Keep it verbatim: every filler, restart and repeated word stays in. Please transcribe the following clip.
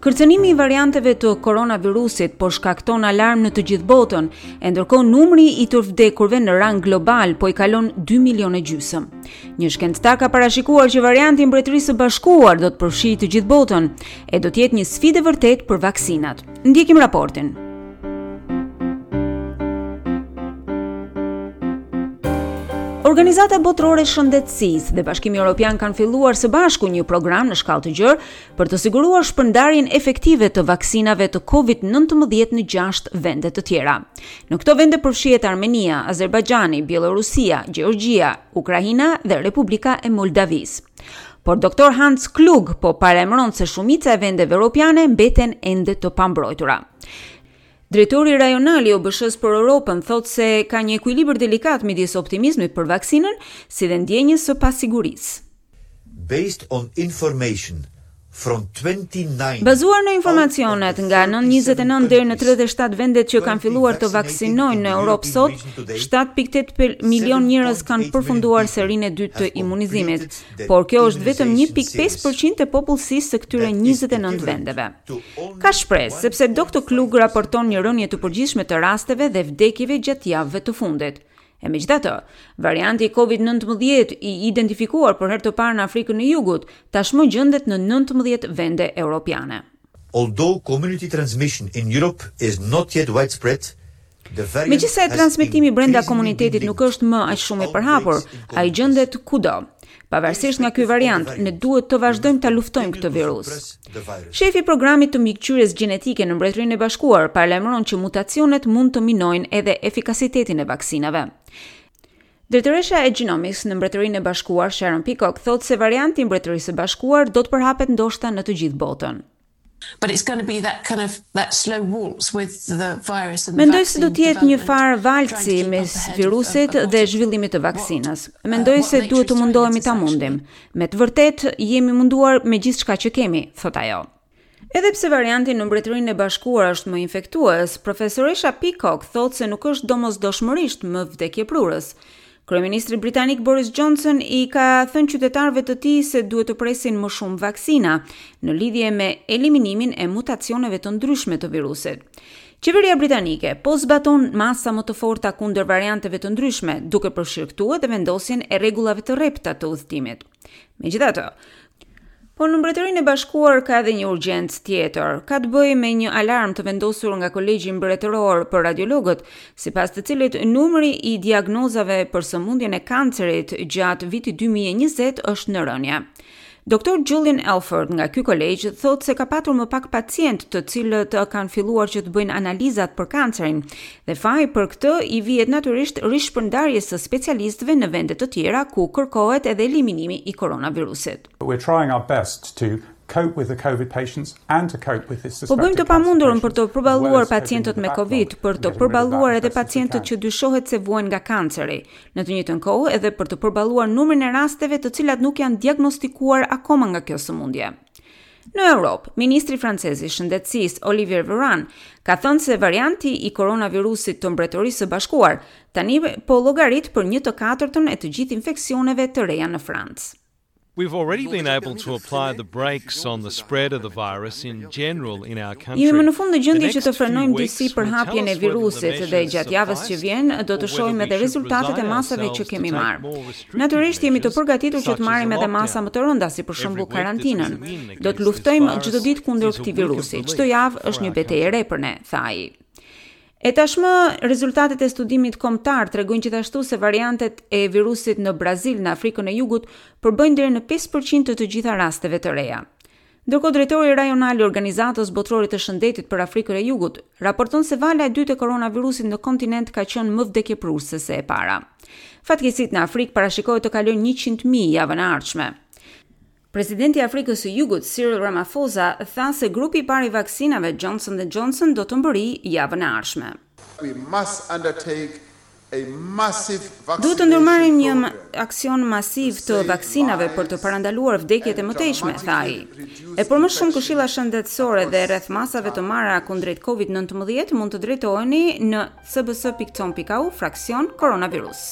Kërcënimi i varianteve të koronavirusit po shkakton alarm në të gjithë botën, e ndërkohë numri i të vdekurve në rang global po i kalon dy milionë e gjysmë. Një shkencëtar ka parashikuar që varianti i Mbretërisë së Bashkuar do të përfshijë të gjithë botën e do të jetë një sfidë e vërtetë për vaksinat. Ndjekim raportin. Organizata Botërore e Shëndetësisë dhe Bashkimi Evropian kanë filluar së bashku një program në shkallë të gjerë për të siguruar shpërndarjen efektive të vaksinave të Covid nëntëmbëdhjetë në gjashtë vende të tjera. Në këto vende përfshihet Armenia, Azerbajxhani, Bielorusia, Gjeorgjia, Ukraina dhe Republika e Moldavisë. Por Doktor Hans Klug po paralajmëron se shumica e vendeve europiane mbeten ende të pambrojtura. Drejtori rajonal i O B Sh-s për Europën thotë se ka një ekuilibër delikat midis optimizmit për vaksinën si dhe ndjenjës së pasigurisë. Based on information from twenty-nine Bazuar në informacionet nga njëzet e nëntë deri në tridhjetë e shtatë vendet që kanë filluar të vaksinojnë në Europë sot, shtatë pikë tetë milion njerëz kanë përfunduar serinë e dytë të imunizimit, por kjo është vetëm një pikë pesë përqind e popullsisë së këtyre njëzet e nëntë vendeve. Ka shpresë, sepse Doktor Klug raporton një rënie të përgjithshme të rasteve dhe vdekjeve gjatë javëve të fundit. E megjithatë, varianti Covid nëntëmbëdhjetë i identifikuar për herë të parë në Afrikën e Jugut, tashmë gjendet në nëntëmbëdhjetë vende europiane. Although community transmission in Europe is not yet widespread, Megjithëse transmetimi brenda komunitetit nuk është më aq shumë i përhapur, ai gjendet kudo. Pavarësisht nga ky variant, ne duhet të vazhdojmë ta luftojmë këtë virus. Shefi i programit të mbikëqyrjes gjenetike në Mbretërinë e Bashkuar paralajmëron që mutacionet mund të minojnë edhe efikasitetin e vaksinave. Drejtoresha e Genomics në Mbretërinë e Bashkuar, Sharon Peacock, thotë se varianti i Mbretërisë së Bashkuar do të përhapet ndoshta në të gjithë botën. But it's going to be that kind of that slow waltz with the virus and the Mendoj se do të jetë një farë valci mes virusit dhe zhvillimit të vaksinës. Mendoj se duhet të mundohemi ta mundim. Me të vërtetë jemi munduar me gjithçka që kemi, thot ajo. Edhe pse varianti në Mbretërinë e Bashkuar është më infektues, profesoresha Peacock thotë se nuk është domosdoshmërisht më vdekjeprurës. Kryeministri britanik Boris Johnson i ka thënë qytetarëve të tij se duhet të presin më shumë vaksina në lidhje me eliminimin e mutacioneve të ndryshme të virusit. Qeveria britanike po zbaton masa më të forta kundër varianteve të ndryshme, duke përfshirë këtu edhe vendosjen e rregullave të rrepta të udhëtimit. Megjithatë, po në Mbretërinë e Bashkuar ka edhe një urgjencë tjetër. Ka të bëjë me një alarm të vendosur nga Kolegji Mbretëror për Radiologët, sipas të cilit numri i diagnozave për sëmundjen e kancerit gjatë vitit dy mijë e njëzet është në rënje. Doktor Julian Alford nga ky kolegj thotë se ka patur më pak pacient të cilët kanë filluar që të bëjnë analizat për kancerin dhe faji për këtë i vihet natyrisht rishpërndarjes së specialistëve në vende të tjera ku kërkohet edhe eliminimi i koronavirusit. We're trying our best to cope with the COVID patients and to cope with this Po bëjmë të pamundurën për të përballuar pacientët me Covid, për të përballuar edhe pacientët që dyshohet se vuajnë nga kanceri. Në të njëjtën kohë edhe për të përballuar numrin e rasteve të cilat nuk janë diagnostikuar akoma nga kjo sëmundje. Në Europë, ministri francez i Shëndetësisë Olivier Véran ka thënë se varianti i koronavirusit të Mbretërisë së Bashkuar tani po llogarit për një të katërtën e të gjithë infeksioneve të reja në Francë. We've already been able to apply the brakes on the spread of the virus in general in our country. Jemi më në fund në gjendje që të frenojmë disi përhapjen e virusit dhe gjatë javës që vjen do të shohim edhe rezultatet e masave që kemi marrë. Natyrisht jemi të përgatitur që të marrim edhe masa më të rënda, si për shembull karantinën. Do të luftojmë çdo ditë kundër këtij virusi. Çdo javë është një betejë e re për ne, tha ai. E tashmë rezultatet e studimit kombëtar tregojnë gjithashtu se variantet e virusit në Brazil në Afrikën e Jugut përbëjnë deri në pesë përqind të të gjitha rasteve të reja. Ndërkohë, drejtori rajonal i Organizatës Botërore të Shëndetit për Afrikën e Jugut raporton se vala e dytë e koronavirusit në kontinent ka qenë më vdekjeprurëse se e para. Fatkeqësitë në Afrikë parashikohet të kalojnë njëqind mijë javën e ardhshme. Presidenti i Afrikës së Jugut, Cyril Ramaphosa, tha se grupi i parë i vaksinave Johnson and Johnson do të mbërrijë javën e ardhshme. We must undertake a massive Duhet të ndërmarrim një aksion masiv të vaksinave për të parandaluar vdekjet e mëtejshme, tha ai. E për më shumë këshilla shëndetësore dhe rreth masave të marra kundrejt Covid nëntëmbëdhjetë mund të drejtoheni në s b s pikë com pikë a u fraksion koronavirus.